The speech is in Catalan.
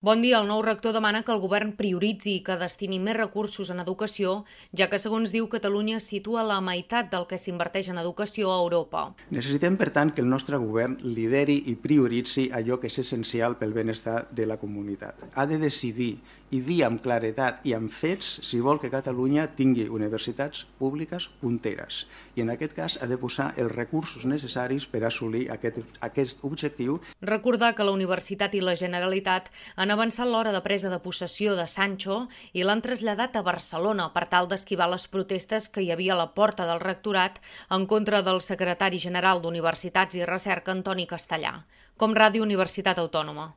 Bon dia. El nou rector demana que el govern prioritzi i que destini més recursos en educació, ja que, segons diu, Catalunya situa la meitat del que s'inverteix en educació a Europa. Necessitem, per tant, que el nostre govern lideri i prioritzi allò que és essencial pel benestar de la comunitat. Ha de decidir i dir amb claredat i amb fets si vol que Catalunya tingui universitats públiques punteres. I en aquest cas ha de posar els recursos necessaris per assolir aquest objectiu. Recordar que la Universitat i la Generalitat han avançat l'hora de presa de possessió de Sancho i l'han traslladat a Barcelona per tal d'esquivar les protestes que hi havia a la porta del rectorat en contra del secretari general d'Universitats i Recerca, Antoni Castellà. Com Ràdio Universitat Autònoma.